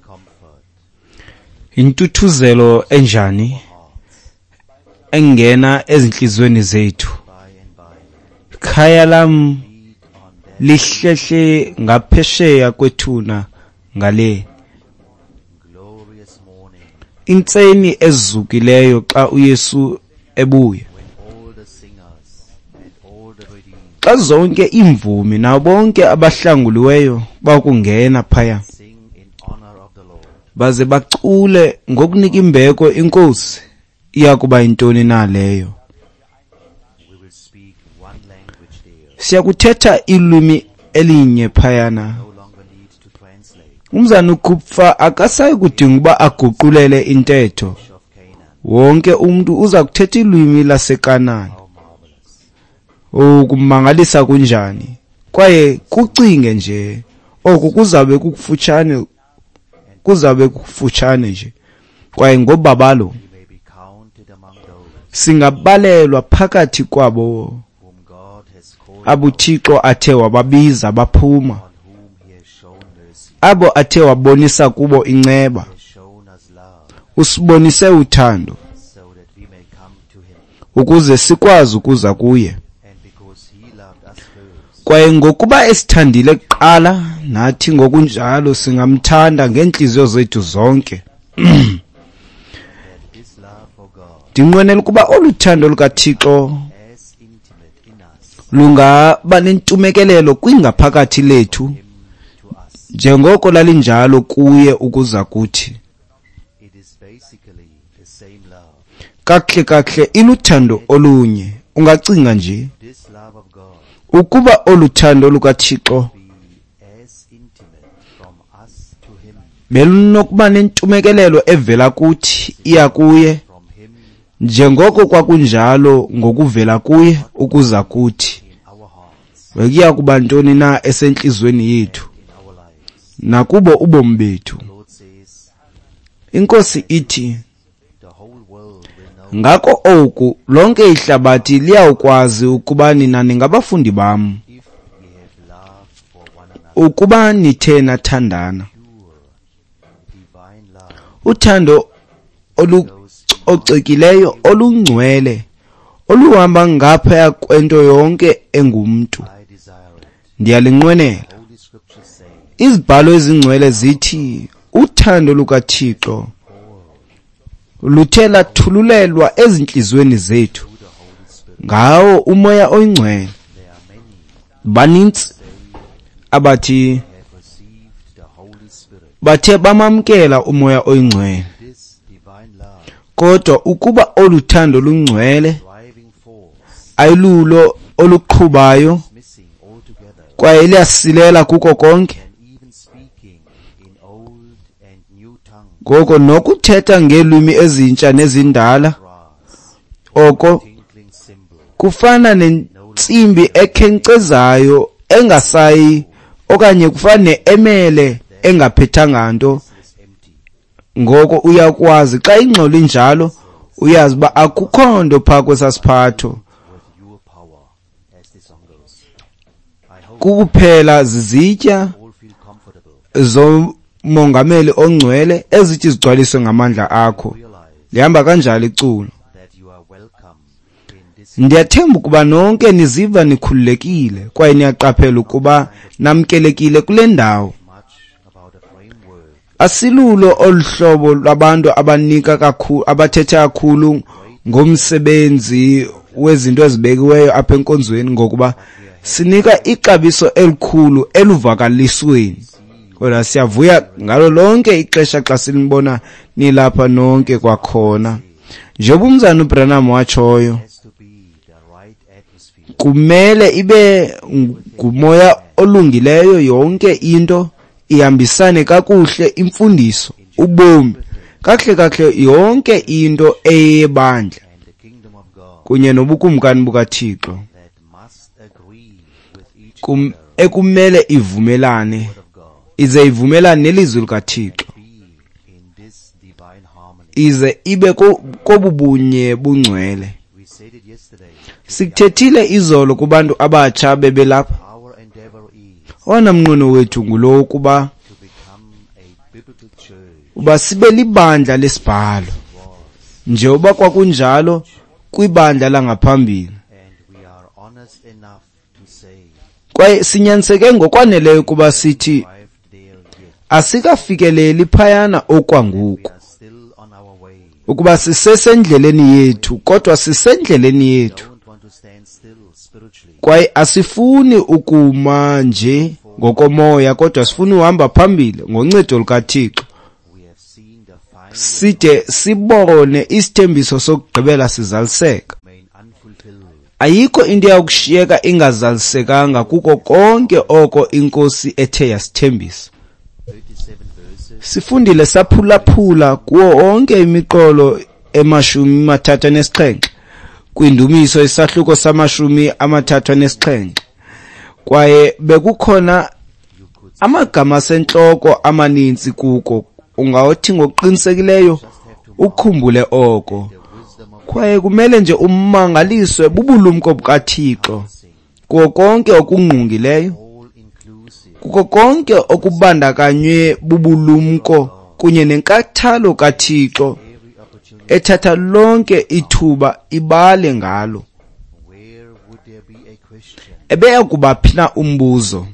comfort Intuthuzelo enjani hearts engena ezinhliziyweni zethu. by and by. Khaya lam Feet on that lihlehle ngaphesheya kwethuna ngale. glorious morning Intseni ezukileyo xa uYesu ebuya. when all the singers and all the redeemed Xa zonke iimvumi nabo bonke abahlanguliweyo bakungena phaya sing in honor of the Lord. baze bacule ngokunika imbeko inkosi, iya kuba yintoni na leyo? We will speak one language there, Siyakuthetha ilwimi elinye phayana. no longer need to translate Umzana uKupfa akasayi kudinga uba aguqulele intetho. of Canaan. Wonke umntu uza kuthetha ilwimi laseKanani. How marvelous. Ukumangalisa kunjani? Kwaye kucinge nje, oku kuzabe kukufutshane, kuzabe kukufutshane nje. Kwaye ngobabalo We may be counted among those singabalelwa phakathi kwabo whom God has called abuThixo athe wababiza baphuma, on whom he has shown mercy, abo athe wabonisa kubo inceba, has shown us love, usibonise uthando so that we may come to him. ukuze sikwazi ukuza kuye. And because he loved us first, Kwaye ngokuba esithandile kuqala, nathi ngokunjalo singamthanda ngeentliziyo zethu zonke. that this love for God Ndinqwenela ukuba olu thando lukaThixo as intimate in us, lungaba nentumekelelo kwingaphakathi lethu him to us. njengoko lalinjalo kuye ukuza kuthi. It is basically the same love. Kakuhle kakuhle iluthando olunye. Ungacinga nje This love of God ukuba olu thando lukaThixo be as intimate from us to him, belunokuba nentumekelelo evela kuthi iya kuye from him njengoko kwakunjalo ngokuvela kuye ukuza kuthi. in our hearts, Bekuya kuba ntoni na esentliziyweni yethu in our lives. nakubo ubomi bethu. The Lord says, Inkosi ithi, the whole world will know ngako oku lonke ihlabathi liyawukwazi ukuba nina ningabafundi bam, if ye have love for one another. ukuba nithe nathandana. Pure, divine love Uthando olucocekileyo, olungcwele, oluhamba ngaphaya kwento yonke engumntu, I desire it. ndiyalinqwenela. Holy Scriptures say, Izibhalo ezingcwele zithi uthando lukaThixo luthe lathululelwa ezintliziyweni zethu through the Holy Spirit, ngawo uMoya oyiNgcwele. there are many Banintsi abathi have received the Holy Spirit. bathe bamamkela uMoya oyiNgcwele, This divine love, kodwa ukuba olu thando lungcwele driving force, ayilulo oluqhubayo is missing altogether, kwaye liyasilela kuko konke, and even speaking in old and new tongues, ngoko nokuthetha ngeelwimi ezintsha nezindala brass, oko tinkling cymbal, kufana nentsimbi ekhenkcezayo engasayi okanye kufana ne-emele engaphethanga nto. is empty. Ngoko uyakwazi xa ingxolo injalo, uyazi uba akukho nto phaa kwesasiphatho, With your power, as the song goes. I hope kukuphela zizitya all feel comfortable. zomongameli ongcwele ezithi zigcwaliswe ngamandla akho. Realize Lihamba kanjalo iculo. that you are welcome in this Ndiyathemba ukuba nonke niziva nikhululekile kwaye niyaqaphela ukuba namkelekile kule ndawo. much about a framework Asilulo olu hlobo lwabantu abanika kakhulu, abathetha kakhulu ngomsebenzi wezinto ezibekiweyo apha enkonzweni, ngokuba sinika ixabiso elikhulu eluvakalisweni. Kodwa siyavuya ngalo lonke ixesha xa sinibona nilapha nonke kwakhona. Njengoba umzana uBranham watshoyo, has to be the right atmosphere. kumele ibe ngumoya olungileyo, yonke into ihambisane kakuhle, imfundiso, ubomi, kakuhle kakuhle yonke into eyebandla And the kingdom of God kunye nobukumkani bukaThixo that must agree with each other, ekumele ivumelane, word of God, ize ivumelane nelizwi likaThixo, be in this divine harmony. ize ibe kobubunye bungcwele. We said it yesterday. Sikuthethile izolo kubantu abatsha bebelapha. Our endeavor is Owona mnqweno wethu ngulo wokuba to become a biblical church uba sibe libandla lesibhalo, njengoba kwakunjalo kwibandla langaphambili. Kwaye sinyaniseke ngokwaneleyo ukuba sithi asikafikeleli phayana okwangoku, ukuba sisesendleleni yethu, kodwa sisendleleni yethu. Kwaye asifuni ukuma nje ngokomoya, kodwa sifuna uhamba phambili ngoncedo lukaThixo, side sibone isithembiso sokugqibela sizaliseka. Ayikho into eyakushiyeka ingazalisekanga kuko konke oko iNkosi ethe yasithembisa. Sifundile saphulaphula kuwo onke imiqolo e-37 kwindumiso isahluko sama-37, kwaye bekukhona amagama asentloko amaninzi kuko. Ungathi ngokuqinisekileyo ukhumbule oko. Kwaye kumele nje umangaliswe bubulumko bukaThixo kuko konke okungqungileyo, kuko konke okubandakanywe bubulumko kunye nenkathalo kaThixo ethatha lonke ithuba ibale ngalo. Ebeya kuba phi na umbuzo,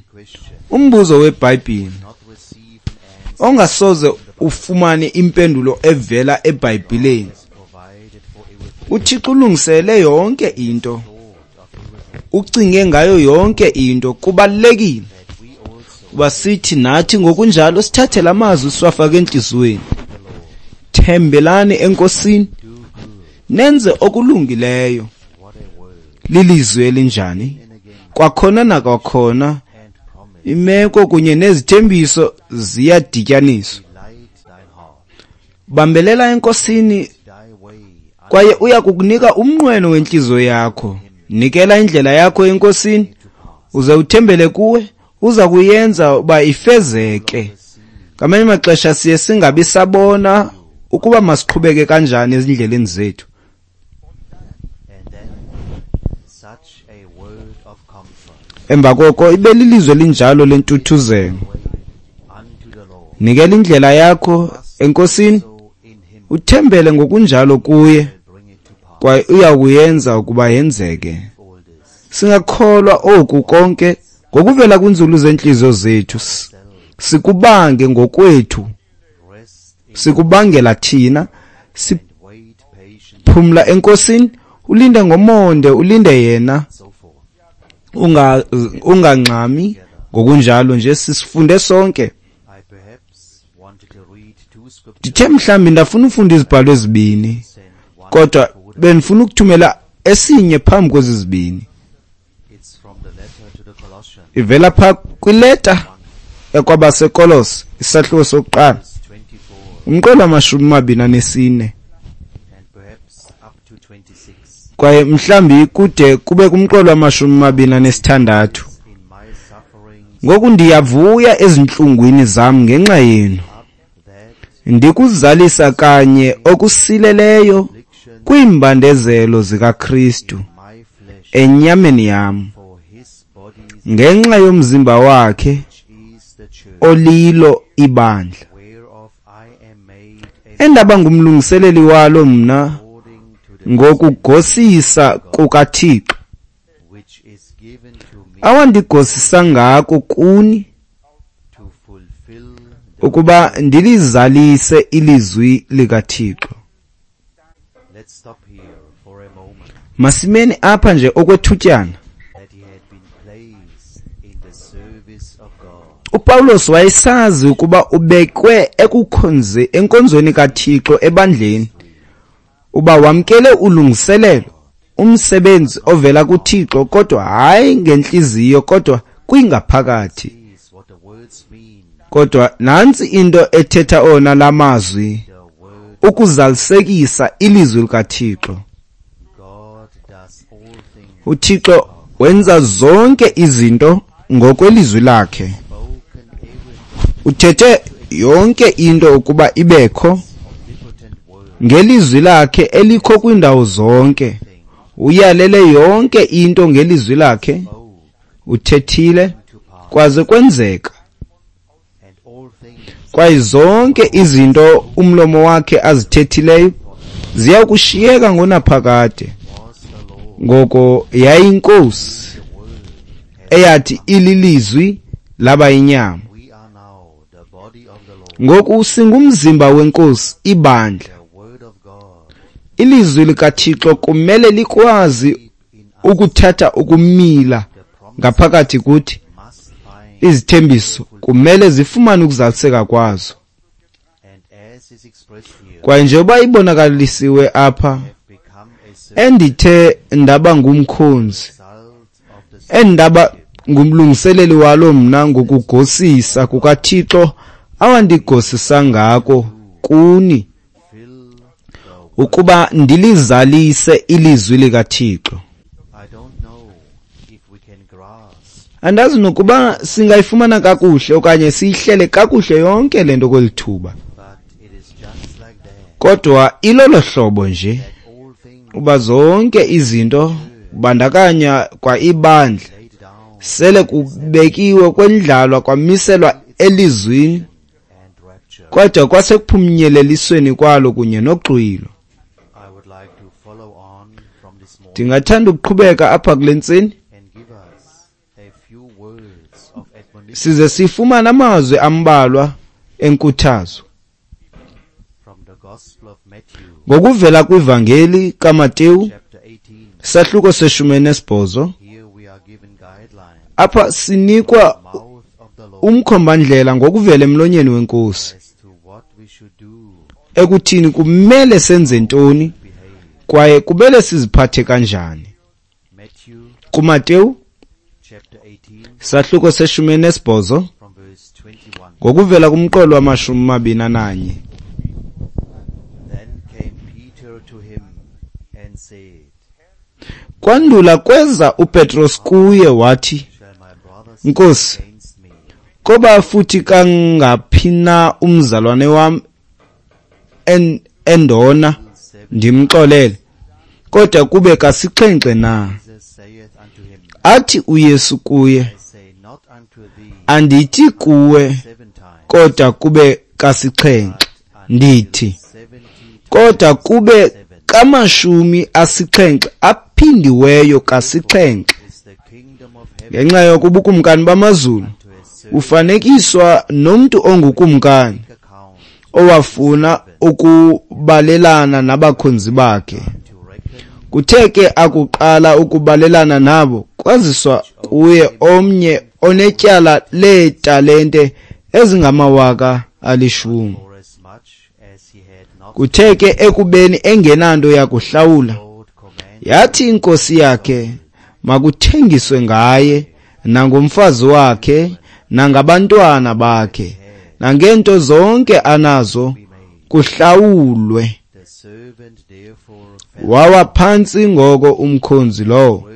umbuzo weBhayibhile ongasoze ufumane impendulo evela eBhayibhileni? UThixo ulungisele yonke into, ucinge ngayo yonke into. Kubalulekile uba sithi nathi ngokunjalo sithathe la mazwi siwafake entliziyweni. Thembelani eNkosini, nenze okulungileyo. Lilizwi elinjani? Kwakhona nakwakhona imeko kunye nezithembiso ziyadityaniswa. Bambelela eNkosini, kwaye uya kukunika umnqweno wentliziyo yakho. Nikela indlela yakho eNkosini, uze uthembele kuwe, uza kuyenza uba ifezeke. Ngamanye amaxesha siye singabi sabona ukuba masiqhubeke kanjani ezindleleni zethu. Emva koko ibe lilizwi elinjalo lentuthuzelo. Nikela indlela yakho eNkosini, uthembele ngokunjalo kuye, kwaye uya kuyenza ukuba yenzeke. Singakholwa oku konke ngokuvela kwinzulu zentliziyo zethu, sikubange ngokwethu, sikubangela thina. Siphumla eNkosini, ulinde ngomonde, ulinde yena, ungangxami. Ngokunjalo nje sisifunde sonke. Ndithe mhlawumbi ndafuna ufunda izibhalo ezibini, kodwa bendifuna ukuthumela esinye phambi kwezi zibini. Ivela pha kwileta ekwabaseKolose, isahluko sokuqala, umqolo wama-24, kwaye mhlawumbi kude kube kumqolo wama-26. Ngoku ndiyavuya ezintlungwini zam ngenxa yenu, ndikuzalisa kanye okusileleyo kwiimbandezelo zikaKristu enyameni yam, ngenxa yomzimba wakhe olilo ibandla, endaba ngumlungiseleli walo mna ngokugosisa kukaThixo, awandigosisa ngako kuni, ukuba ndilizalise ilizwi likaThixo. Masimeni apha nje okwethutyana. uPawulos wayesazi ukuba ubekwe enkonzweni kaThixo ebandleni, uba wamkele ulungiselelo, umsebenzi ovela kuThixo, kodwa hayi ngentliziyo, kodwa kwingaphakathi. Kodwa nantsi into ethetha ona lamazwi, ukuzalisekisa ilizwi likaThixo. uThixo wenza zonke izinto ngokwelizwi lakhe. Uthethe yonke into ukuba ibekho ngelizwi lakhe elikho kwindawo zonke. Uyalele yonke into ngelizwi lakhe. Uthethile kwaze kwenzeka. Kwaye zonke izinto umlomo wakhe azithethileyo ziya kushiyeka ngonaphakade. Ngoko yayinkosi eyathi ililizwi laba yinyama. Ngoku singumzimba wenkosi, ibandla. Ilizwi likaThixo kumele likwazi ukuthatha ukumila ngaphakathi kuthi. Izithembiso kumele zifumane ukuzaliseka kwazo. Kwaye njengoba ibonakalisiwe apha, endithe ndaba ngumkhonzi, endaba ngumlungiseleli walo mna ngokugosisa kukaThixo awandigosisa ngako kuni, ukuba ndilizalise ilizwi likaThixo. Andazi nokuba singayifumana kakuhle okanye siyihlele kakuhle yonke le nto kweli thuba. Kodwa ilolo hlobo nje, uba zonke izinto kubandakanya kwa ibandla sele kubekiwe kwendlalwa kwamiselwa elizwini, kodwa kwasekuphunyelelisweni kwalo kunye noxwilo. Ndingathanda ukuqhubeka apha kule ntseni size sifumane amazwi ambalwa enkuthazo ngokuvela kwivangeli kaMateyu sahluko se-18. Apha sinikwa umkhombandlela ngokuvela emlonyeni wenkosi ekuthini kumele senze ntoni kwaye kumele siziphathe kanjani. KuMateyu sahluko se-18 ngokuvela kumqolo wama-21. Kwandula kweza uPetros kuye wathi, Nkosi, koba futhi kangaphi na umzalwane wam endona ndimxolele, kodwa kube kasixhenxe na? Athi uYesu kuye, andithi kuwe kodwa kube kasixhenxe, ndithi kodwa kube kama-70 aphindiweyo kasixhenxe. Ngenxa yoko ubukumkani bamazulu bufanekiswa nomntu ongukumkani owafuna ukubalelana nabakhonzi bakhe. Kuthe ke akuqala ukubalelana nabo, kwaziswa kuye omnye onetyala leetalente ezingama-10,000. Kuthe ke ekubeni engenanto yakuhlawula, yathi inkosi yakhe makuthengiswe ngaye nangomfazi wakhe nangabantwana bakhe nangeento zonke anazo kuhlawulwe. Wawa phantsi ngoko umkhonzi lowo,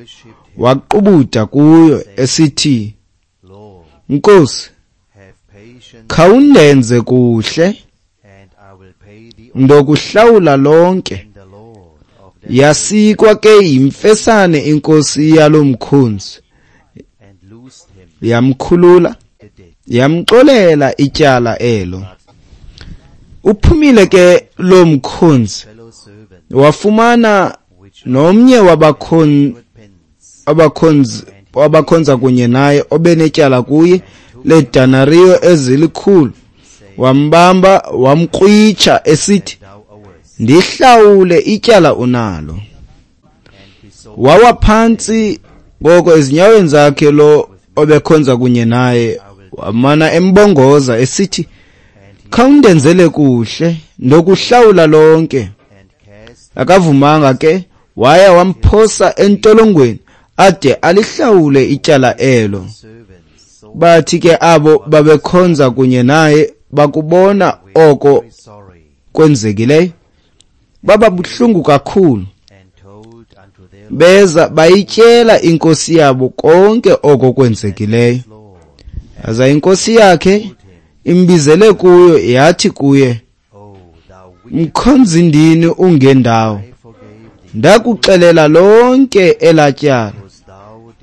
waqubuda kuyo esithi, Nkosi, khawundenze kuhle, ndokuhlawula lonke. Yasikwa ke yimfesane inkosi yalo mkhonzi, yamkhulula, yamxolela ityala elo. Uphumile ke lo mkhonzi, wafumana nomnye wabakhonza kunye naye obenetyala kuye leedenariyo ezilikhulu. Wambamba wamkrwitsha esithi, ndihlawule ityala unalo. Wawa phantsi ngoko ezinyaweni zakhe lo obekhonza kunye naye, wamana embongoza esithi, khawundenzele kuhle, ndokuhlawula lonke. Akavumanga ke, waya wamphosa entolongweni ade alihlawule ityala elo. Bathi ke abo babekhonza kunye naye bakubona oko kwenzekileyo, baba buhlungu kakhulu. Beza bayityela inkosi yabo konke oko kwenzekileyo. Aza inkosi yakhe imbizele kuyo, yathi kuye, mkhonzindini ungendawo, ndakuxelela lonke elatyala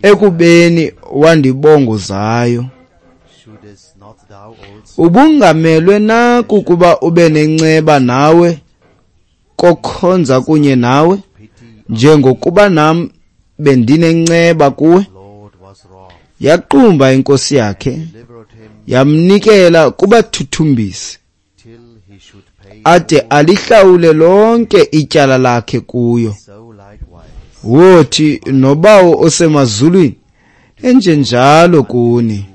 ekubeni wandibongozayo. Ubungamelwe na kukuba ube nenceba nawe kokhonza kunye nawe, njengokuba nam bendinenceba kuwe? Yaqumba inkosi yakhe, yamnikela kubathuthumbisi, ade alihlawule lonke ityala lakhe kuyo. Wothi noBawo osemazulwini enjenjalo kuni,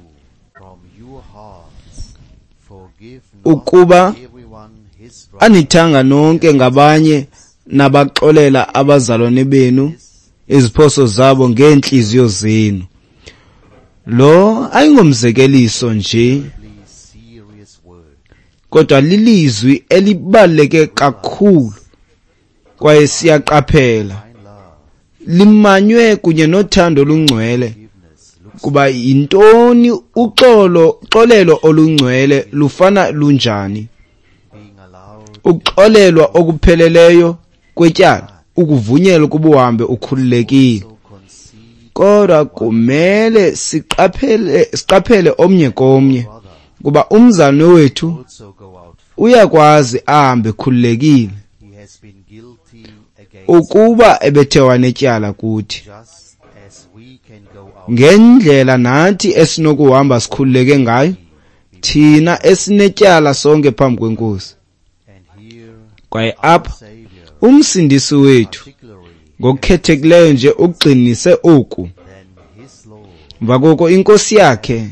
ukuba anithanga nonke ngabanye nabaxolela abazalwane benu iziphoso zabo ngeentliziyo zenu. Lo ayingomzekeliso nje, kodwa lilizwi elibaluleke kakhulu, kwaye siyaqaphela limanywe kunye nothando olungcwele. Kuba yintoni uxolo, xolelo olungcwele lufana lunjani? Uxolelwa okupheleleyo kwetyala, ukuvunyelwa ukuba uhambe ukhululekile. Kodwa kumele siqaphele omnye komnye, kuba umzalwane wethu uyakwazi ahambe ekhululekile ukuba ebethe wanetyala kuthi, ngendlela nathi esinokuhamba sikhululeke ngayo thina esinetyala sonke phambi kweNkosi. Kwaye apha uMsindisi wethu ngokukhethekileyo nje ugxinise oku. Emva koko inkosi yakhe,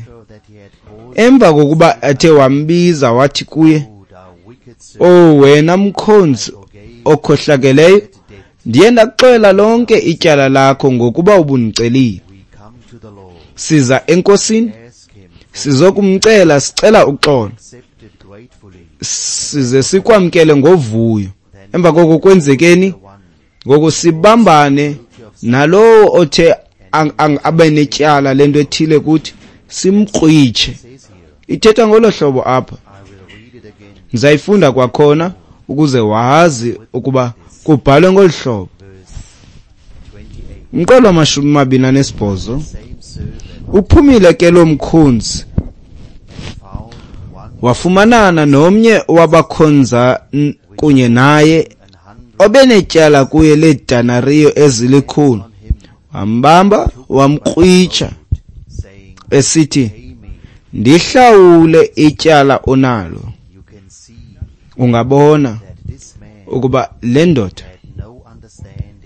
emva kokuba ethe wambiza wathi kuye, "O wena mkhonzi okhohlakeleyo, ndiye ndakuxolela lonke ityala lakho ngokuba ubundicelile." Siza enkosini sizokumcela, sicela uxolo, size sikwamkele ngovuyo. Emva koko kwenzekeni? Ngoku sibambane nalowo othe abe netyala lento ethile kuthi, simkrwitshe. Ithetha ngolo hlobo apha. Ndizayifunda kwakhona ukuze wazi ukuba kubhalwe ngolu hlobo. Umqolo wama-28. Uphumile ke lo mkhonzi, wafumanana nomnye wabakhonza kunye naye obenetyala kuye leedenariyo ezilikhulu, wambamba wamkrwitsha, esithi, "Ndihlawule ityala onalo." Ungabona ukuba le ndoda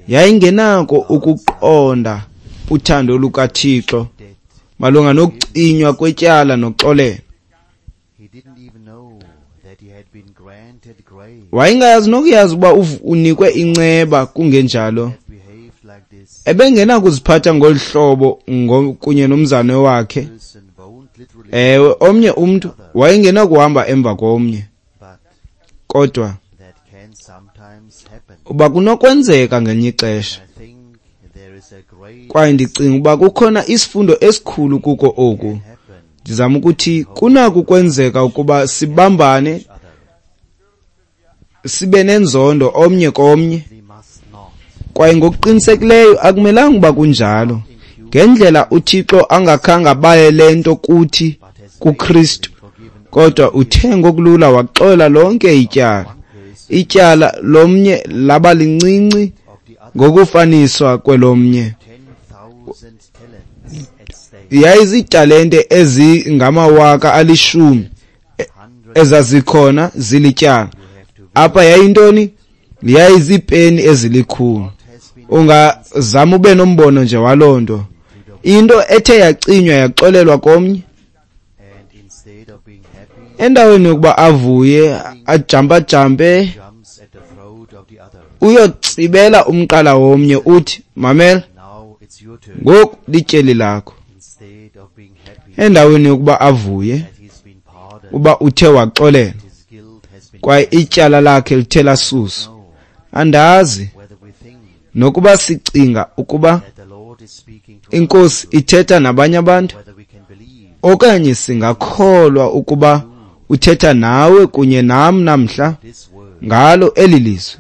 yayingenako ukuqonda uthando lukaThixo malunga nokucinywa kwetyala noxolelo. Wayengayazi nokuyazi ukuba unikwe inceba, kungenjalo ebengenakuziphatha ngolu hlobo kunye nomzalwane wakhe. Ewe, omnye umntu wayengenakuhamba emva komnye, kodwa uba kunokwenzeka ngelinye ixesha. Kwaye ndicinga uba kukhona isifundo esikhulu kuko oku. Ndizama ukuthi kunako ukwenzeka ukuba sibambane, sibe nenzondo omnye komnye, kwaye ngokuqinisekileyo akumelanga uba kunjalo. Ngendlela uThixo angakhange abaye le nto kuthi kuKristu, kodwa uthe ngokulula waxola lonke ityala. Ityala lomnye laba lincinci ngokufaniswa kwelomnye. Yayiziitalente ezingama-10,000 ezazikhona zilityala. Apha yayintoni? Yayiziipeni ezilikhulu. Ungazama ube nombono nje waloo nto. Into ethe yacinywa yaxolelwa komnye, endaweni yokuba avuye ajampajampe, uyotsibela umqala womnye uthi, "Mamela, ngoku lityeli lakho." Endaweni yokuba avuye uba uthe waxolelwa kwaye ityala lakhe lithe lasuswa. Andazi nokuba sicinga ukuba iNkosi ithetha nabanye abantu, okanye singakholwa ukuba uthetha nawe kunye nam namhla ngalo eli lizwi.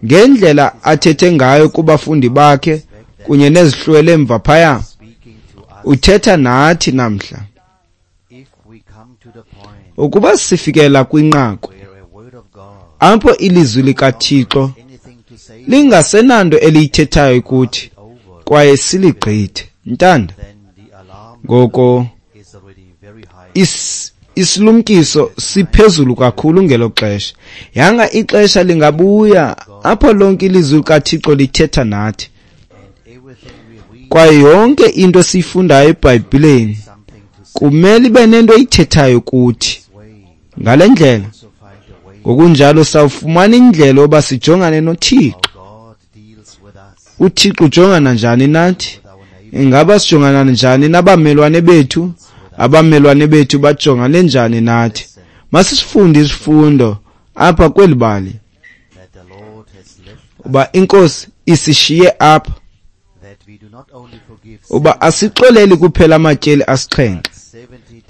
Ngendlela athethe ngayo kubafundi bakhe kunye nezihlwele emva phaya, uthetha nathi namhla. Ukuba sifikela kwinqaku apho ilizwi likaThixo lingasenanto eliyithethayo kuthi kwaye siligqithe, ntanda, ngoko isilumkiso siphezulu kakhulu ngelo xesha. Yanga ixesha lingabuya apho lonke ilizwi likaThixo lithetha nathi, kwaye yonke into esiyifundayo eBhayibhileni kumele ibe nento eyithethayo kuthi. Ngale ndlela ngokunjalo sawufumana indlela yoba sijongane noThixo. UThixo ujongana njani nathi? Ingaba sijongana njani nabamelwane bethu? Abamelwane bethu bajongane njani nathi? Masisifunde isifundo apha kweli bali uba iNkosi isishiye apha uba asixoleli kuphela amatyeli 7,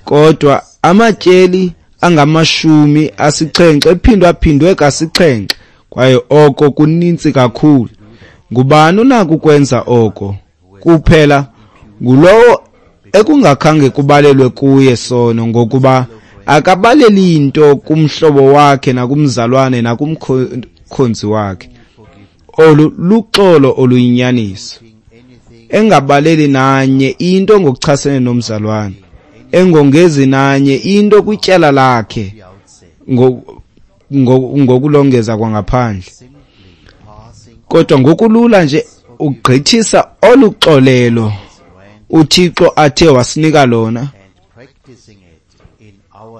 kodwa amatyeli angamashumi 7 ephindwa-phindwe ka-7, kwaye oko kunintsi kakhulu. Ngubani unako ukwenza oko? Kuphela ngulowo ekungakhange kubalelwe kuye sono, ngokuba akabaleli nto kumhlobo wakhe nakumzalwane nakumkhonzi wakhe. Olu luxolo oluyinyaniso, engabaleli nanye into ngokuchasene nomzalwane, engongezi nanye into kwityala lakhe ngokulongeza kwangaphandle, kodwa ngokulula nje ugqithisa oluxolelo uThixo athe wasinika lona,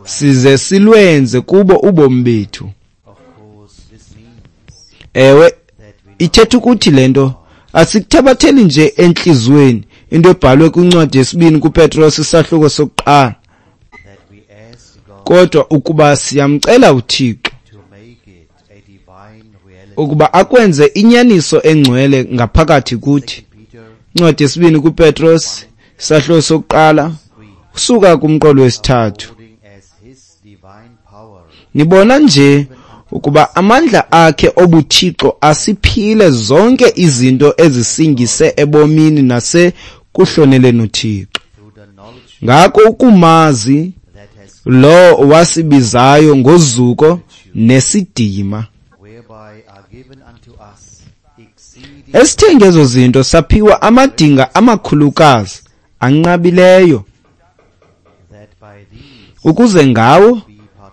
size silwenze kubo ubomi bethu. Ewe, ithetha ukuthi le nto asikuthabatheli nje entliziyweni into ebhalwe kwincwadi yesibini kuPetros isahluko sokuqala, kodwa ukuba siyamcela uThixo ukuba akwenze inyaniso engcwele ngaphakathi kuthi. Incwadi yesibini kuPetros isahluko sokuqala usuka kumqolo wesithathu. Nibona nje ukuba amandla akhe obuthixo asiphile zonke izinto ezisingise ebomini nasekuhloneleni uThixo. Ngako ukumazi lo wasibizayo ngozuko nesidima, esithe ngezo zinto saphiwa amadinga amakhulukazi anqabileyo, ukuze ngawo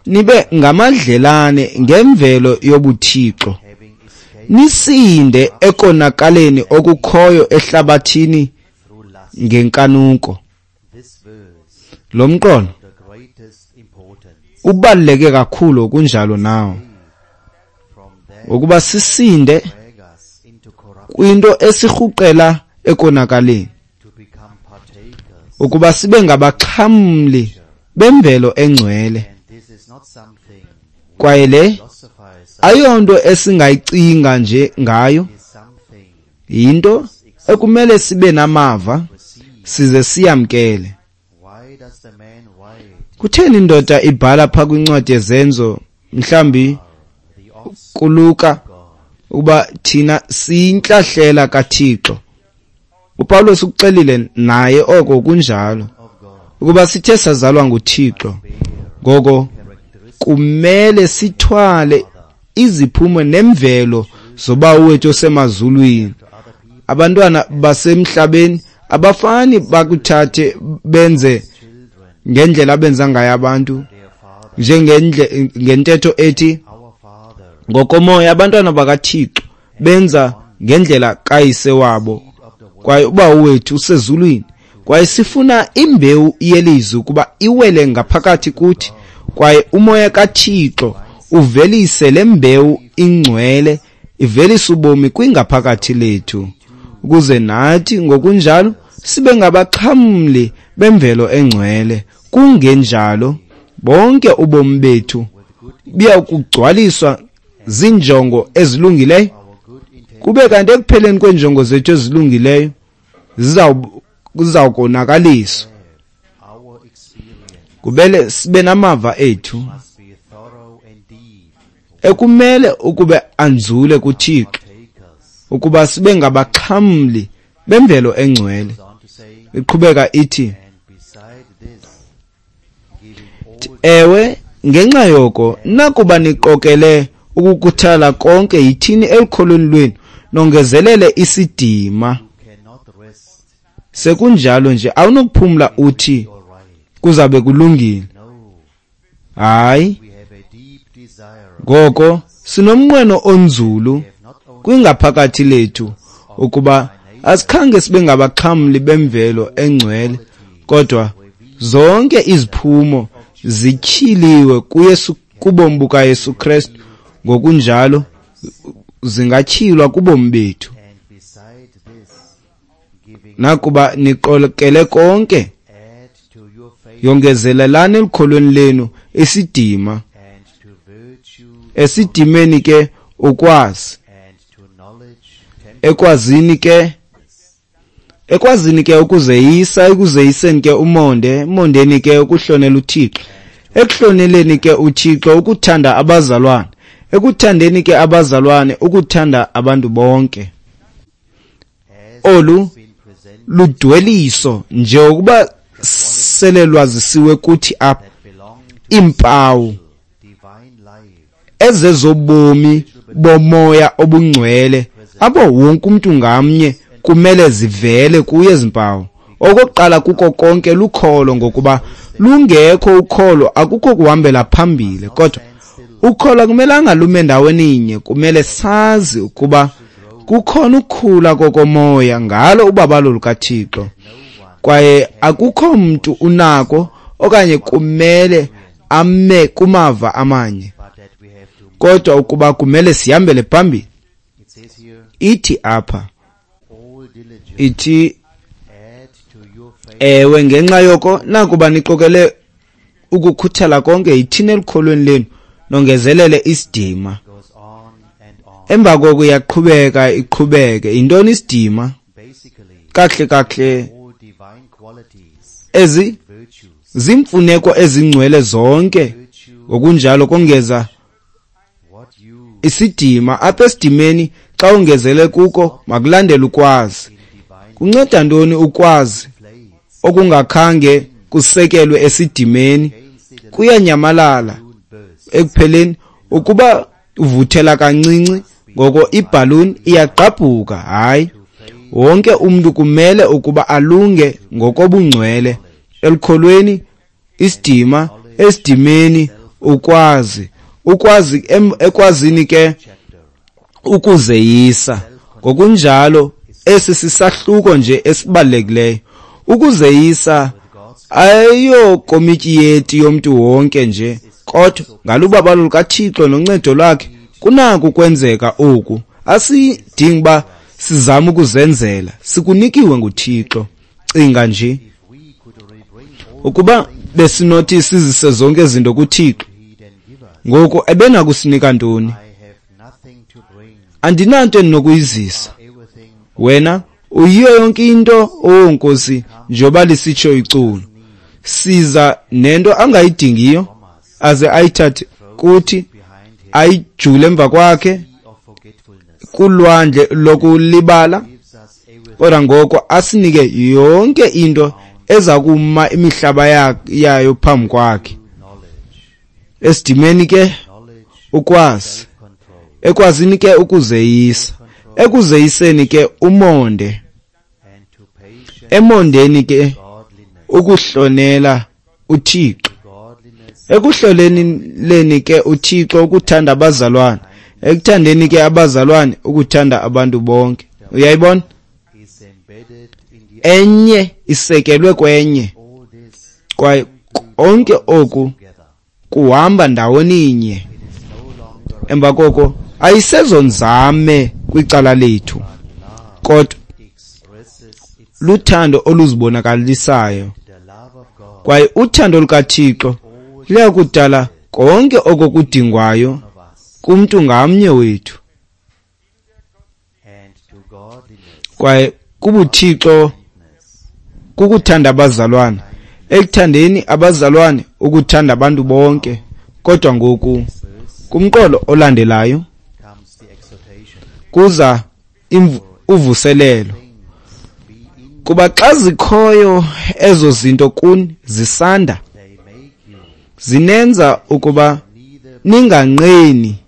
nibe ngamadlelane ngemvelo yobuthixo, nisinde ekonakaleni okukhoyo ehlabathini ngenkanuko. Lo mqolo ubaluleke kakhulu kunjalo nawo, ukuba sisinde kwinto esirhuqela ekonakaleni, ukuba sibe ngabaxhamli bemvelo engcwele. Kwaye le ayonto esingayicinga nje ngayo, yinto ekumele sibe namava size siyamkele. Kutheni indoda ibhala pha kwincwadi yeZenzo, mhlambi kuLuka, ukuba thina siyintlahlela kaThixo? uPawulos ukuxelile naye oko kunjalo, ukuba sithe sazalwa nguThixo, ngoko kumele sithwale iziphumo nemvelo zobawo wethu osemazulwini. Abantwana basemhlabeni abafani bakuthathe benze ngendlela abenza ngayo abantu, njengentetho ethi ngokomoya abantwana bakaThixo benza ngendlela kayise wabo, kwaye ubawo wethu usezulwini. Kwaye sifuna imbewu yelizwi ukuba iwele ngaphakathi kuthi, kwaye umoya kaThixo uvelise le mbewu ingcwele, ivelise ubomi kwingaphakathi lethu, ukuze nathi ngokunjalo sibe ngabaxhamli bemvelo engcwele. Kungenjalo bonke ubomi bethu buya kugcwaliswa zinjongo ezilungileyo, kube kanti ekupheleni kweenjongo zethu ezilungileyo zizawukonakaliswa. Kubele sibe namava ethu ekumele ukube anzule kuThixo, ukuba sibe ngabaxhamli bemvelo engcwele. Iqhubeka ithi, Ewe, ngenxa yoko, nakuba niqokele ukukhuthala konke, yithini elukholweni lwenu, nongezelele isidima. Sekunjalo nje awunokuphumla uthi kuzabe kulungile. Hayi, ngoko sinomnqweno onzulu kwingaphakathi lethu ukuba asikhange sibe ngabaxhamli bemvelo engcwele, kodwa zonke iziphumo zityhiliwe kuYesu, kubomi bukaYesu Kristu, ngokunjalo zingatyhilwa kubomi bethu. Nakuba niqokele konke, yongezelelani elukholweni lenu isidima, esidimeni ke ukwazi, ekwazini ke ukuzeyisa, ekuzeyiseni ke umonde, emondeni ke ukuhlonela uThixo, ekuhloneleni ke uThixo ukuthanda abazalwane, ekuthandeni ke abazalwane ukuthanda abantu bonke. Olu ludweliso njengokuba sele lwazisiwe kuthi apha, iimpawu ezezobomi bomoya obungcwele apho wonke umntu ngamnye kumele zivele kuye ezi mpawu. Okokuqala kuko konke lukholo, ngokuba lungekho ukholo akukho kuhambela phambili. Kodwa ukholo akumelanga lume ndaweni inye, kumele sazi ukuba kukhona ukukhula kokomoya ngalo ubabalo lukaThixo, kwaye akukho mntu unako okanye kumele ame kumava amanye, kodwa ukuba kumele sihambele phambili. Ithi apha, ithi ewe, ngenxa yoko nakuba niqokele ukukhuthala konke, yithini elukholweni lenu, nongezelele isidima. Emva koko iyaqhubeka iqhubeke. Yintoni isidima? Kahle kahle ezi zimfuneko ezingcwele zonke, ngokunjalo kongeza isidima. Apha esidimeni xa ongezele kuko makulandele ukwazi. Kunceda ntoni ukwazi okungakhange kusekelwe esidimeni? Kuyanyamalala ekupheleni. Ukuba uvuthela kancinci, ngoko ibhaluni iyagqabhuka. Hayi, wonke umntu kumele ukuba alunge ngokobungcwele elukholweni, isidima, esidimeni ukwazi, ukwazi ekwazini ke ukuzeyisa. Ngokunjalo esi sisahluko nje esibalulekileyo. Ukuzeyisa ayiyo komityi yeti yomntu wonke nje, kodwa ngalubabalo lukaThixo noncedo lwakhe kunako ukwenzeka oku. Asidingi uba sizame ukuzenzela, sikunikiwe nguThixo. Cinga nje ukuba besinothi sizise zonke izinto kuThixo, ngoku ebenakusinika ntoni? Andinanto endinokuyizisa. Wena uyiyo yonke into, oh Nkosi, njengoba lisitsho iculo. Siza nento angayidingiyo, aze ayithathe kuthi, ayijule emva kwakhe kulwandle lokulibala, kodwa ngoko asinike yonke into eza kuma imihlaba yayo phambi kwakhe. Esidimeni ke ukwazi, ekwazini ke ukuzeyisa, ekuzeyiseni ke umonde, emondeni ke ukuhlonela uThixo, ekuhloleleni ke uThixo ukuthanda abazalwane, ekuthandeni ke abazalwane ukuthanda abantu bonke. Uyayibona? Enye isekelwe kwenye, kwaye konke oku kuhamba ndawoninye. Emva koko ayisezonzame kwicala lethu, kodwa luthando oluzibonakalisayo, kwaye uthando lukaThixo luyakudala konke oko kudingwayo kumntu ngamnye wethu. Kwaye kubuThixo kukuthanda abazalwane, ekuthandeni abazalwane ukuthanda abantu bonke. Kodwa ngoku kumqolo olandelayo kuza uvuselelo, kuba xa zikhoyo ezo zinto kuni zisanda, zinenza ukuba ninganqeni,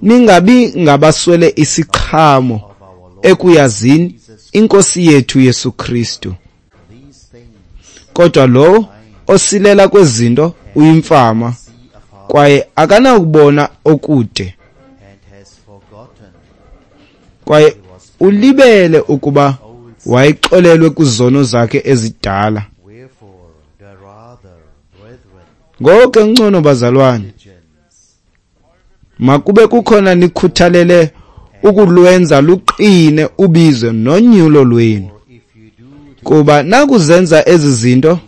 ningabi ngabaswele isiqhamo ekuyazini iNkosi yethu Yesu Kristu. Kodwa lowo osilela kwezinto uyimfama, kwaye akanakubona okude, kwaye ulibele ukuba wayexolelwe kwizono zakhe ezidala. Ngoko ke ngcono, bazalwane, makube kukhona nikhuthalele ukulwenza luqine ubizo nonyulo lwenu, kuba nakuzenza ezi zinto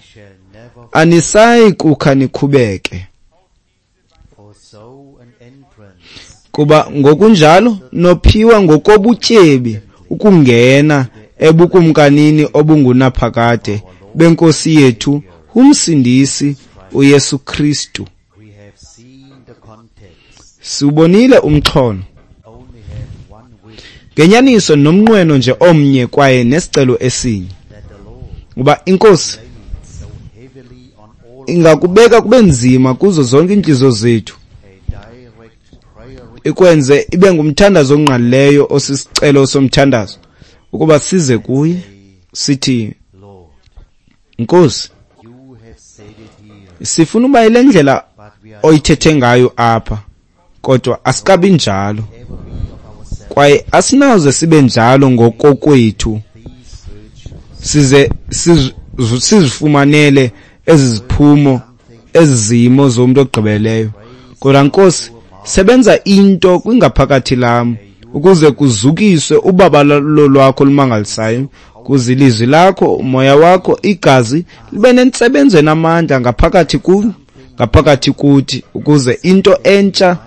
anisayi kukha nikhubeke. Kuba ngokunjalo nophiwa ngokobutyebi ukungena ebukumkanini obungunaphakade beNkosi yethu uMsindisi uYesu Kristu. Siwubonile umxholo. Ngenyaniso nomnqweno nje omnye kwaye nesicelo esinye, uba iNkosi ingakubeka kube nzima kuzo zonke iintliziyo zethu, ikwenze ibe ngumthandazo ongqalileyo osisicelo somthandazo, ukuba size kuye sithi, Nkosi, sifuna uba yile ndlela oyithethe ngayo apha, kodwa asikabi njalo, kwaye asinaze sibe njalo ngokokwethu, size sizifumanele ezi ziphumo, ezi zimo zomntu ogqibeleyo. Kodwa Nkosi, sebenza into kwingaphakathi lam ukuze kuzukiswe ubabalo lwakho olumangalisayo, kuze ilizwi lakho, umoya wakho, igazi libe nentsebenzo enamandla ngaphakathi ku ngaphakathi kuthi, ukuze into entsha,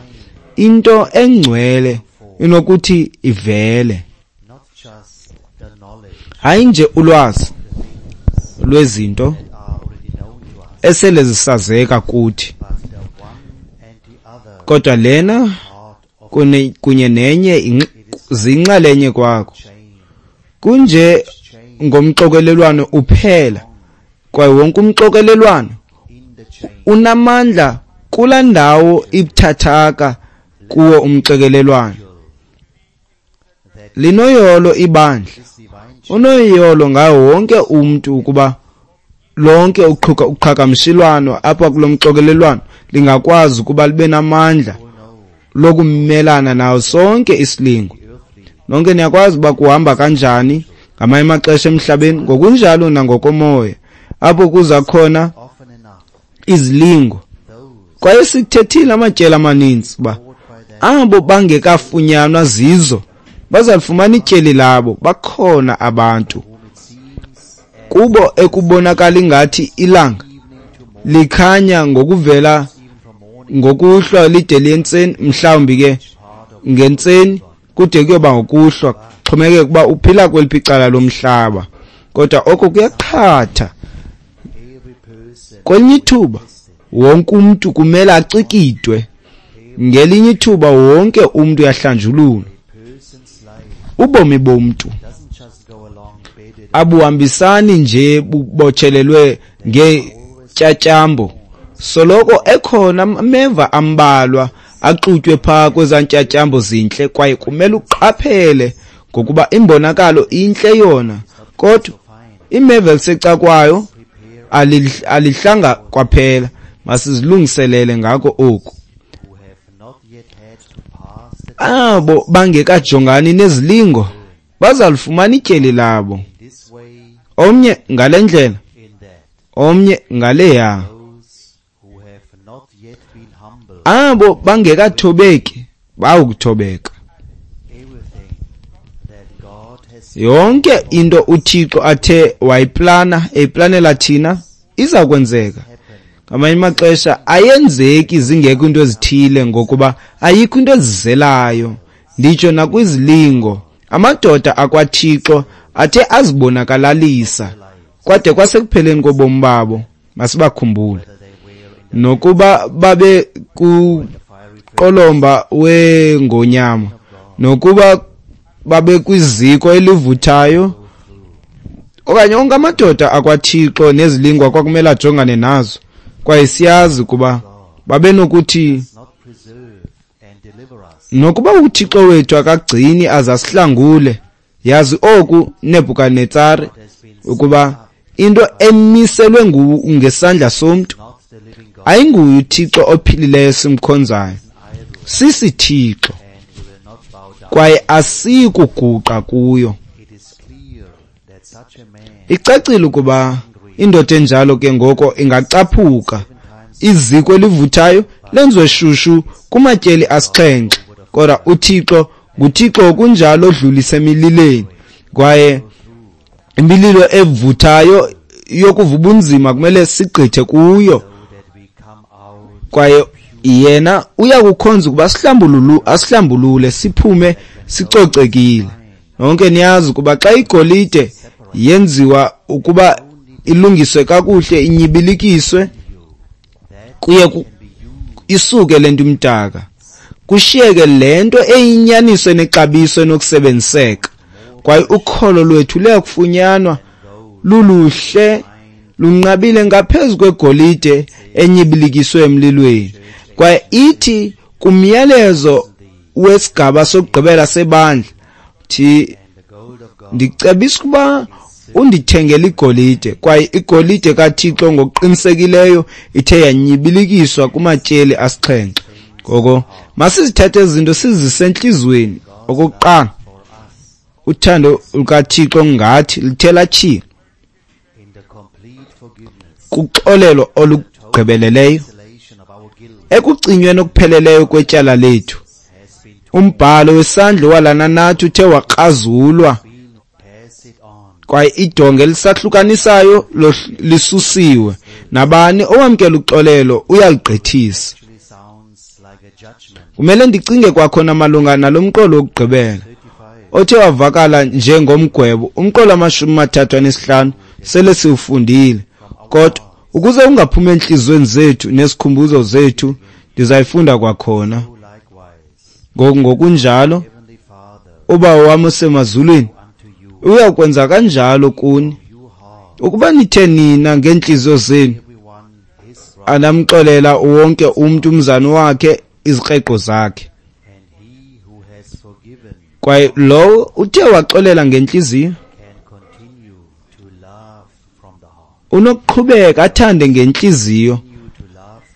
into engcwele inokuthi ivele. Hayi nje ulwazi lwezinto esele zisazeka kuthi, kodwa lena kunye nenye zinxalenye kwakho. Kunje ngomxokelelwano uphela, kwaye wonke umxokelelwano unamandla kula ndawo ibuthathaka kuwo umxokelelwano. Linoyolo ibandla, unoyolo ngawo wonke umntu, ukuba lonke uqhagamshelwano apha kulo mxokelelwano lingakwazi ukuba libe namandla lokumelana nawo sonke isilingo. Nonke niyakwazi uba kuhamba kanjani ngamanye amaxesha emhlabeni, ngokunjalo nangokomoya, apho kuza khona izilingo. Kwaye sikuthethile amatyeli amaninzi uba abo bangekafunyanwa zizo bazalifumana ityeli labo. Bakhona abantu kubo ekubonakala ingathi ilanga likhanya ngokuvela ngokuhlwa lide liye entseni, mhlawumbi ke ngentseni kude kuyoba ngokuhlwa, xhomekeke ukuba uphila kweliphi icala lomhlaba. Kodwa oko kuyaqhatha. Kwelinye ithuba wonke umntu kumele acikidwe, ngelinye ithuba wonke umntu uyahlanjululwa. Ubomi bomntu abuhambisani nje bubotshelelwe ngeentyatyambo, soloko ekhona ameva ambalwa axutywe phaa kwezaa ntyatyambo zintle, kwaye kumele uqaphele ngokuba imbonakalo intle yona, kodwa imeva elisecakwayo alihlanga kwaphela. Masizilungiselele ngako oku. Abo bangekajongani nezilingo bazalifumana ityeli labo, omnye ngale ndlela, omnye ngaleya. Abo bangekathobeki bawukuthobeka. Yonke into uThixo athe wayiplana, eyiplanela thina, iza kwenzeka. Ngamanye amaxesha ayenzeki zingekho into ezithile, ngokuba ayikho into ezizelayo. Nditsho nakwizilingo, amadoda akwaThixo athe azibonakalalisa kwade kwasekupheleni kobomi babo. Masibakhumbule, nokuba babe kuqolomba wengonyama, nokuba babe kwiziko elivuthayo, okanye onke amadoda akwaThixo nezilingwa kwakumele ajongane nazo. Kwaye siyazi ukuba babenokuthi, nokuba uThixo wethu akagcini aze asihlangule, yazi oku, Nebhukanetsare, ukuba into emiselwe ngesandla somntu ayinguye uThixo ophilileyo simkhonzayo, sisithixo, kwaye asiyi kuguqa kuyo. Icacile ukuba indoda enjalo ke ngoko ingacaphuka. Iziko elivuthayo lenziwe shushu kumatyeli 7, kodwa uThixo nguThixo kunjalo odlulisa emililweni, kwaye imililo evuthayo yokuva ubunzima kumele sigqithe kuyo, kwaye yena uyakukhonza ukuba asihlambulule siphume sicocekile. Nonke niyazi ukuba xa igolide yenziwa ukuba ilungiswe kakuhle, inyibilikiswe, kuye isuke lento imdaka, kushiyeke lento eyinyaniso enexabiso enokusebenziseka. Kwaye ukholo lwethu luyakufunyanwa luluhle, lunqabile ngaphezu kwegolide enyibilikiswe emlilweni. Kwaye ithi kumyalezo wesigaba sokugqibela sebandla, thi ndicebisa ukuba undithengele igolide, kwaye igolide kaThixo ngokuqinisekileyo ithe yanyibilikiswa kumatyeli 7. Ngoko masizithathe izinto sizise entliziyweni. Okokuqala, uthando lukaThixo ngathi lithe latshila kuxolelo olugqibeleleyo, ekucinyweni okupheleleyo kwetyala lethu. Umbhalo wesandla owalana nathi uthe wakrazulwa, kwaye idonga elisahlukanisayo lisusiwe. Nabani owamkela uxolelo uyaligqithisa. Kumele ndicinge kwakhona malunga nalo mqolo wokugqibela othe wavakala njengomgwebo. Umqolo 35 sele siwufundile, kodwa ukuze ungaphumi entliziyweni zethu nesikhumbuzo zethu, ndizayifunda kwakhona. Ngokunjalo uBawo wam osemazulwini uyakwenza kanjalo kuni, ukuba nithe nina ngeentliziyo zenu anamxolela wonke umntu umzana wakhe izikreqo zakhe. Kwaye lowo uthe waxolela ngentliziyo unokuqhubeka athande ngentliziyo.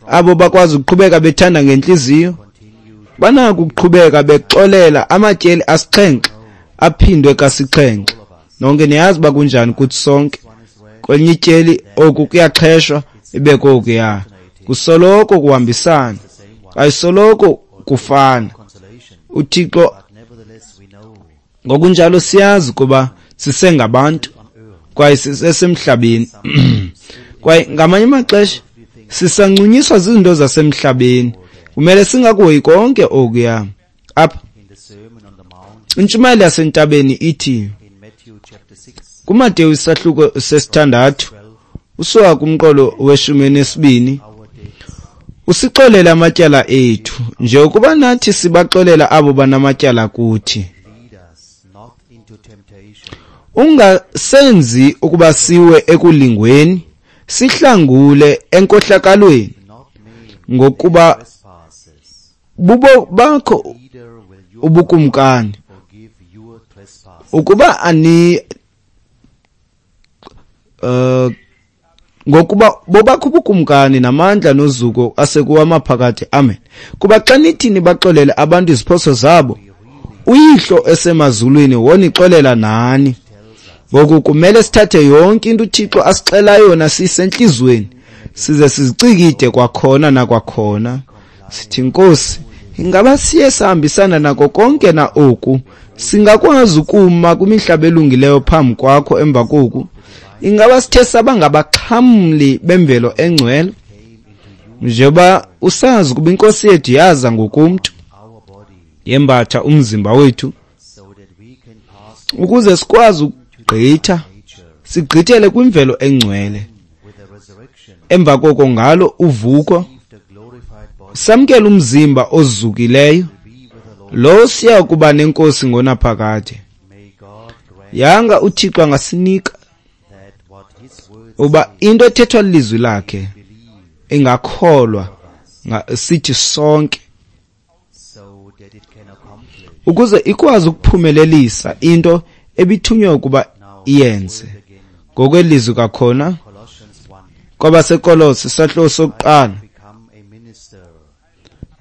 Abo bakwazi ukuqhubeka bethanda ngentliziyo banako ukuqhubeka bexolela amatyeli 7 aphindwe ka7. Nonke niyazi uba kunjani kuthi sonke. Kwelinye ityeli oku kuyaxheshwa, ibe kokuya kusoloko kuhambisana, ayisoloko kufana. uThixo ngokunjalo siyazi kuba sisengabantu kwaye sisesemhlabeni, kwaye ngamanye amaxesha sisancunyiswa zizinto zasemhlabeni. Kumele singakuhoyi konke okuya. Apha intshumayelo yasentabeni ithi kuMateyu isahluko 6 usuka kumqolo we-12, usixolele amatyala ethu njengokuba nathi sibaxolela abo banamatyala kuthi. Ungasenzi ukuba siwe ekulingweni, sihlangule enkohlakalweni, ngokuba bubo bakho ubukumkani. Ukuba ani ngokuba bobakho ubukumkani namandla nozuko asekuwamaphakathi. Amen. Kuba xa nithi nibaxolele abantu iziphoso zabo, uYihlo esemazulwini wonixolela nani. Ngoku kumele sithathe yonke into uThixo asixela yona sisentliziyweni, size sizicikide kwakhona nakwakhona. Sithi, Nkosi, ingaba siye sahambisana nako konke na oku? Singakwazi ukuma kwimihlaba elungileyo phambi kwakho emva koku? Ingaba sithe saba ngabaxhamli bemvelo engcwele? Njengoba usazi ukuba iNkosi yethu yaza ngokomntu, yembatha umzimba wethu, ukuze sikwazi ukugqitha, sigqithele kwimvelo engcwele. Emva koko ngalo uvuko samkela umzimba ozukileyo, lo siya kuba nenkosi ngonaphakade. Yanga uThixo angasinika uba into ethethwa lilizwi lakhe ingakholwa sithi sonke, ukuze ikwazi ukuphumelelisa into ebithunywe ukuba iyenze. Ngokwelizwi kakhona kwabaseKolose isahluko sokuqala,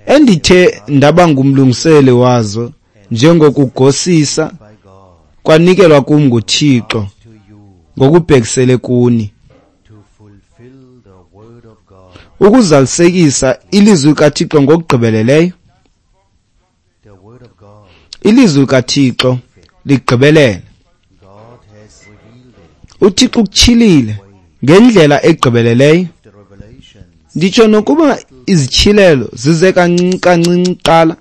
endithe ndaba ngumlungiseli wazo njengokugosisa kwanikelwa kum nguThixo ngokubhekisele kuni, ukuzalisekisa ilizwi likaThixo ngokugqibeleleyo. Ilizwi likaThixo ligqibelele. UThixo ukutyhilile ngendlela egqibeleleyo. Nditsho nokuba izityhilelo zize kancinci kancinci kuqala.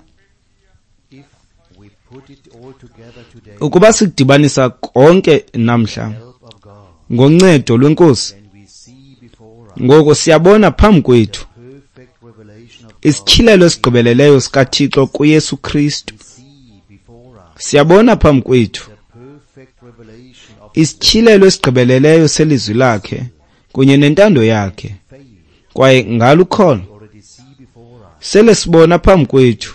Ukuba sikudibanisa konke namhla ngoncedo lweNkosi, ngoko siyabona phambi kwethu isityhilelo esigqibeleleyo sikaThixo kuYesu Kristu. Siyabona phambi kwethu isityhilelo esigqibeleleyo selizwi lakhe kunye nentando yakhe, kwaye ngalo ukholo sele sibona phambi kwethu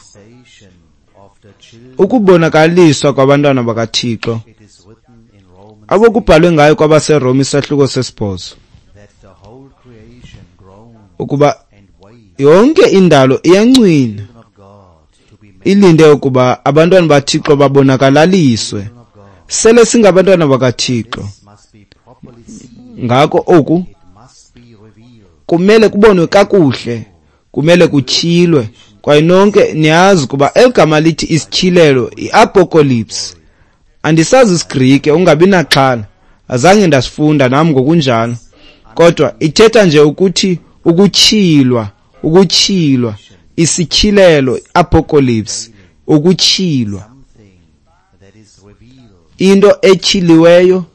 ukubonakaliswa kwabantwana bakaThixo abokubhalwe ngayo kwabaseRoma isahluko 8, ukuba yonke indalo iyancwina ilinde ukuba abantwana baThixo babonakalaliswe. Sele singabantwana bakaThixo, ngako oku kumele kubonwe kakuhle, kumele kutyhilwe. Kwaye nonke niyazi ukuba eligama lithi isityhilelo, i-apocalypse, andisazi isiGrike, ungabi naxhala, azange ndasifunda nam ngokunjalo, kodwa ithetha nje ukuthi ukutyhilwa, ukutyhilwa, isityhilelo, apocalypse, ukutyhilwa. Into etyhiliweyo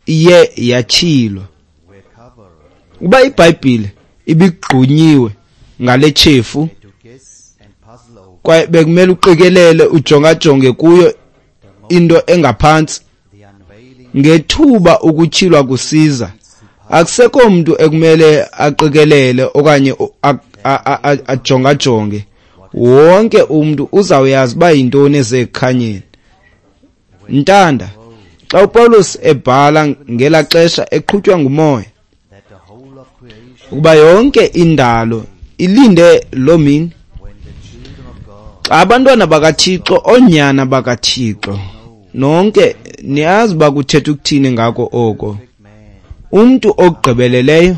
iye yatyhilwa. Uba iBhayibhile ibigqunyiwe ngale tshefu, kwaye bekumele uqikelele ujongajonge kuyo into engaphantsi, ngethuba ukutyhilwa kusiza, akusekho mntu ekumele aqikelele okanye ajongajonge. Wonke umntu uzawuyazi uba yintoni ezekukhanyeni. Ntanda, xa uPawulos ebhala ngela xesha eqhutywa ngumoya, ukuba yonke indalo ilinde loo mini, xa abantwana bakaThixo, oonyana bakaThixo, nonke niyazi uba kuthetha ukuthini ngako oko, umntu ogqibeleleyo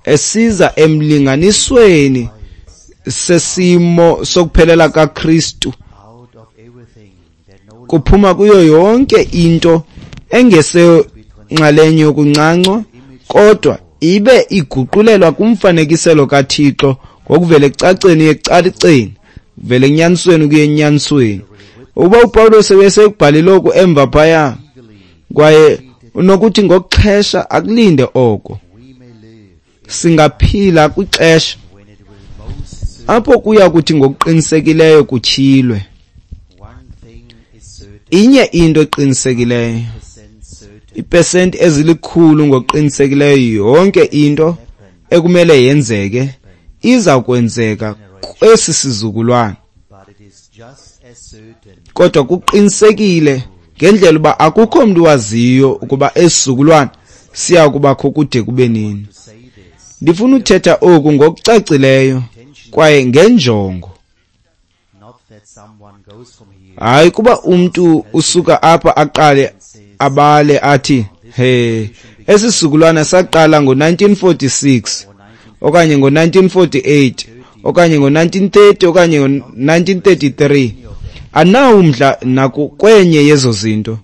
esiza emlinganisweni sesimo sokuphelela kaKristu, kuphuma kuyo yonke into engesenxalenye yokuncancwa, kodwa ibe iguqulelwa kumfanekiselo kaThixo ngokuvela ekucaceni ekucaceni, kuvela enyanisweni ukuya enyanisweni. Ukuba uPawulos ebesekubhalile oku emva phaya, kwaye unokuthi ngokuxhesha akulinde oko, singaphila kwixesha apho kuya kuthi ngokuqinisekileyo kutyhilwe. Inye into eqinisekileyo, iipesenti ezilikhulu ngokuqinisekileyo, yonke into ekumele yenzeke iza kwenzeka kwesi sizukulwana. Kodwa kuqinisekile ngendlela uba akukho mntu waziyo ukuba esizukulwana siya kubakho kude kube nini. Ndifuna uthetha oku ngokucacileyo kwaye ngenjongo. Hayi kuba umntu usuka apha aqale abale athi, he, esi sizukulwana saqala ngo-1946 okanye ngo-1948 okanye ngo-1930 okanye ngo-1933. Anawo umdla nakwenye yezo zinto.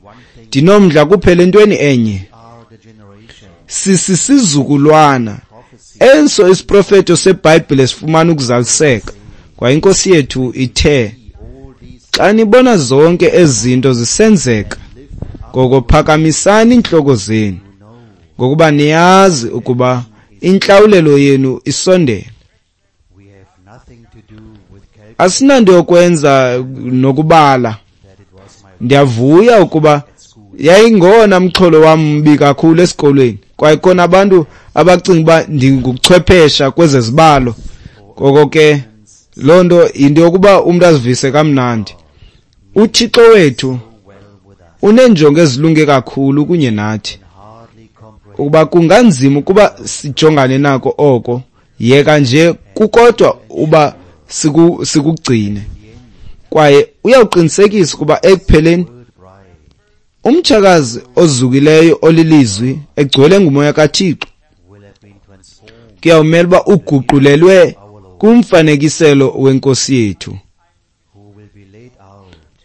Ndinomdla kuphela entweni enye. Sisisizukulwana enso isiprofeto seBhayibhile sifumana ukuzaliseka. Kwaye iNkosi yethu ithe, xa nibona zonke ezi zinto zisenzeka, ngoko phakamisani iintloko zenu, ngokuba niyazi ukuba intlawulelo yenu isondele. Asinanto yokwenza nokubala. Ndiyavuya ukuba yayingowona mxholo wam mbi kakhulu esikolweni, kwaye khona abantu abacinga uba ndinguchwephesha kwezezibalo. Ngoko ke loo nto yinto yokuba umntu azivise kamnandi. UThixo wethu uneenjongo ezilunge kakhulu kunye nathi, ukuba kunganzima ukuba sijongane nako oko, yeka nje kukodwa uba sikugcine. Kwaye uyawuqinisekisa ukuba ekupheleni umtshakazi ozukileyo olilizwi egcwele ngumoya kaThixo kuyawumela uba uguqulelwe kumfanekiselo wenkosi yethu,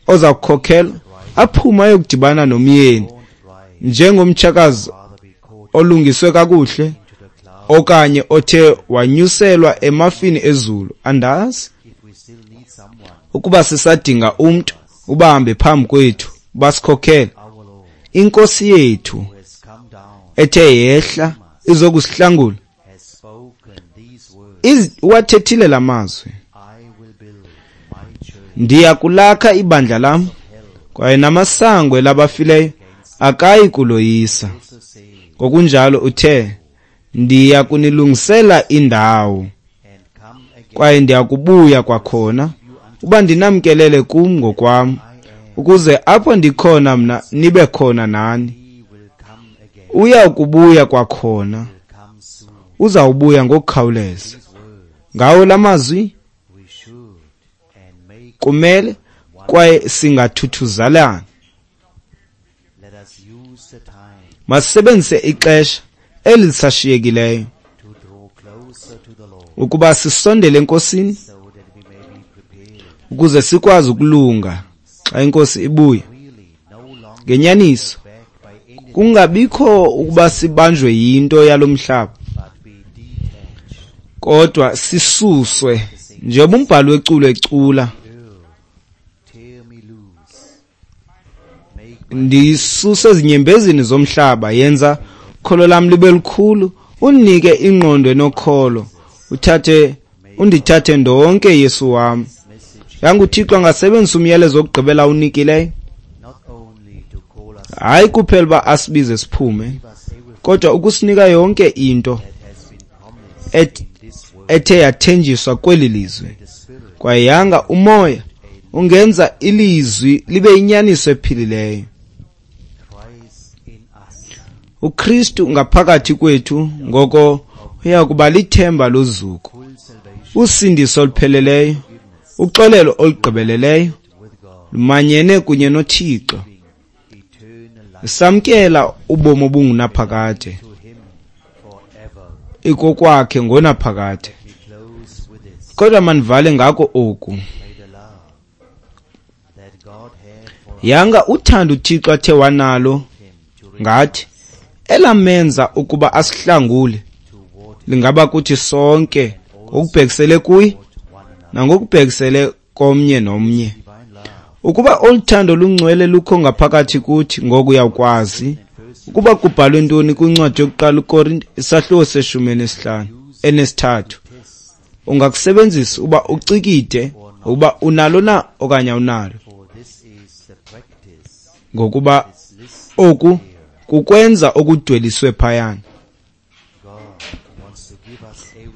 oza kukhokela aphume ayokudibana nomyeni njengomtshakazi olungiswe kakuhle okanye othe wanyuselwa emafini ezulu. Andazi ukuba sisadinga umntu ubahambe phambi kwethu basikhokhele. Inkosi yethu ethe yehla izokusihlangula wathethile lamazwi, ndiya kulakha ibandla lam, kwaye namasango elabafileyo akayi kuloyisa. Ngokunjalo uthe, ndiya kunilungisela indawo, kwaye ndiya kubuya kwakhona uba ndinamkelele kum ngokwam, ukuze apho ndikhona mna nibe khona nani. Uya kubuya kwakhona, uzawubuya ngokukhawuleza. Ngawo lamazwi kumele kwaye singathuthuzalana. Masisebenzise ixesha elisashiyekileyo ukuba sisondele eNkosini, ukuze sikwazi ukulunga xa iNkosi ibuya. Ngenyaniso kungabikho ukuba sibanjwe yinto yalomhlaba, kodwa sisuswe njengoba umbhali weculo ecula, ndisuse ezinyembezini zomhlaba, yenza ukholo lam libe lukhulu, undinike ingqondo enokholo, undithathe ndonke Yesu wam. Yanga uThixo angasebenzisa umyalezo wokugqibela awunikileyo, hayi kuphela uba asibize siphume, kodwa ukusinika yonke into ethe yathenjiswa kweli lizwe. Kwaye yanga umoya ungenza ilizwi libe inyaniso ephilileyo. uKristu ngaphakathi kwethu ngoko uya kuba lithemba lozuko, usindiso olupheleleyo, uxolelo olugqibeleleyo, lumanyene kunye noThixo, samkela ubomi obungunaphakade ikokwakhe ngonaphakade. Kodwa mandivale ngako oku, yanga uthando uThixo athe wanalo ngathi elamenza ukuba asihlangule lingaba kuthi sonke ngokubhekisele kuye nangokubhekisele komnye nomnye. Ukuba oluthando lungcwele lukho ngaphakathi kuthi, ngoku uyakwazi ukuba kubhalwe ntoni kwincwadi yokuqala uKorinte isahluko se-15 enesithathu. Ungakusebenzisa uba ucikide ukuba unalo na okanye awunalo, ngokuba oku kukwenza okudweliswe phayana.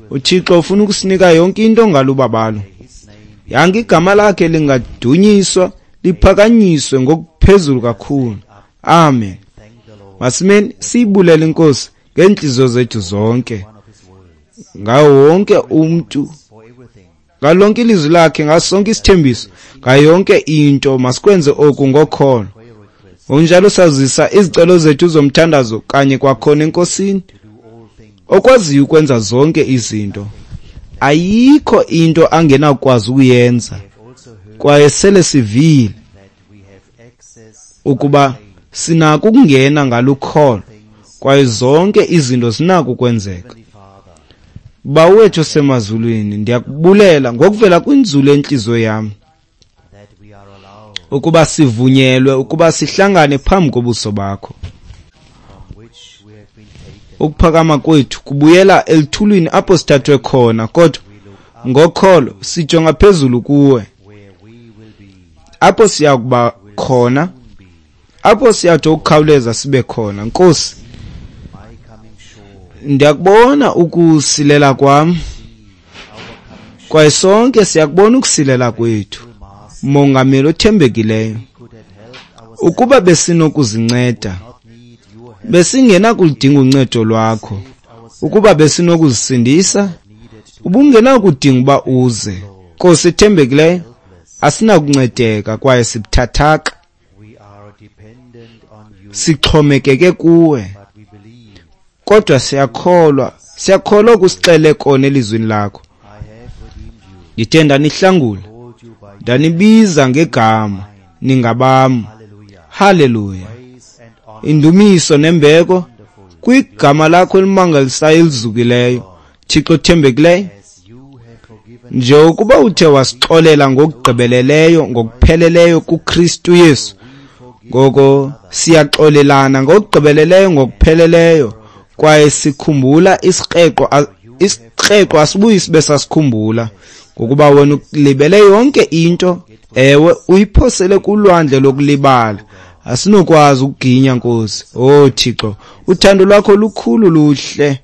uThixo ufuna ukusinika yonke into ngalubabalo. Yanga igama lakhe lingadunyiswa liphakanyiswe ngokuphezulu kakhulu. Amen. Masimeni siyibulele iNkosi ngeenhliziyo zethu zonke, ngawo wonke umntu, ngalonke ilizwi lakhe, ngaso sonke isithembiso, ngayo yonke into. Masikwenze oku ngokholo. Ngokunjalo sazisa izicelo zethu zomthandazo kanye kwakhona eNkosini, okwaziyo ukwenza zonke izinto. Ayikho into angenakwazi ukuyenza, kwaye sele sivile ukuba sinako ukungena ngalukholo, kwaye zonke izinto zinako ukwenzeka. Bawo wethu osemazulwini, ndiyakubulela ngokuvela kwinzulu entliziyo yam ukuba sivunyelwe ukuba sihlangane phambi kobuso bakho. Ukuphakama kwethu kubuyela elithulwini apho sithathwe khona, kodwa ngokholo sijonga phezulu kuwe, apho siya kuba khona, apho siyathi ukukhawuleza sibe khona. Nkosi, Ndiyakubona ukusilela kwam, kwaye sonke siyakubona ukusilela kwethu, Mongameli othembekileyo. Ukuba besinokuzinceda, besingenakuludinga uncedo lwakho. Ukuba besinokuzisindisa, ubungenakudinga uba uze. Nkosi ethembekileyo, asinakuncedeka kwaye sibuthathaka. Sixhomekeke kuwe, kodwa siyakholwa, siyakholwa kusixele kona elizwini lakho. Ndithe ndanihlangula, ndanibiza ngegama, ningabam. Haleluya! Indumiso nembeko kwigama lakho elimangalisayo elizukileyo, Thixo othembekileyo. Njengokuba uthe wasixolela ngokugqibeleleyo, ngokupheleleyo kuKristu Yesu, ngoko siyaxolelana ngokugqibeleleyo, ngokupheleleyo, kwaye sikhumbula isikreqo, isikreqo asibuyi sibe sasikhumbula, ngokuba wena ulibele yonke into. Ewe, uyiphosele kulwandle lokulibala. Asinokwazi ukuginya, Nkosi. Oh Thixo, uthando lwakho lukhulu, luhle.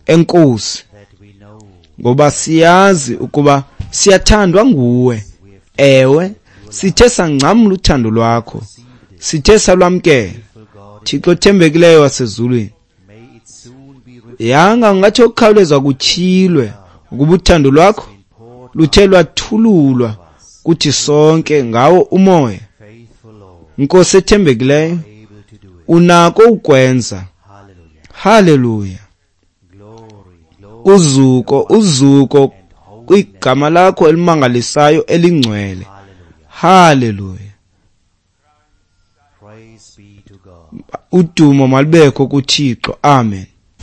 Enkosi, ngoba siyazi ukuba siyathandwa nguwe. Ewe, sithe sangcamla uthando lwakho, sithe salwamkela, Thixo othembekileyo wasezulwini. Yanga ungathi okukhawuleza kutyhilwe ukuba uthando lwakho luthe lwathululwa kuthi sonke ngawo umoya. Nkosi ethembekileyo, unako ukwenza. Haleluya! Uzuko, uzuko kwigama lakho elimangalisayo elingcwele. Haleluya! Udumo malubekho kuThixo. Amen.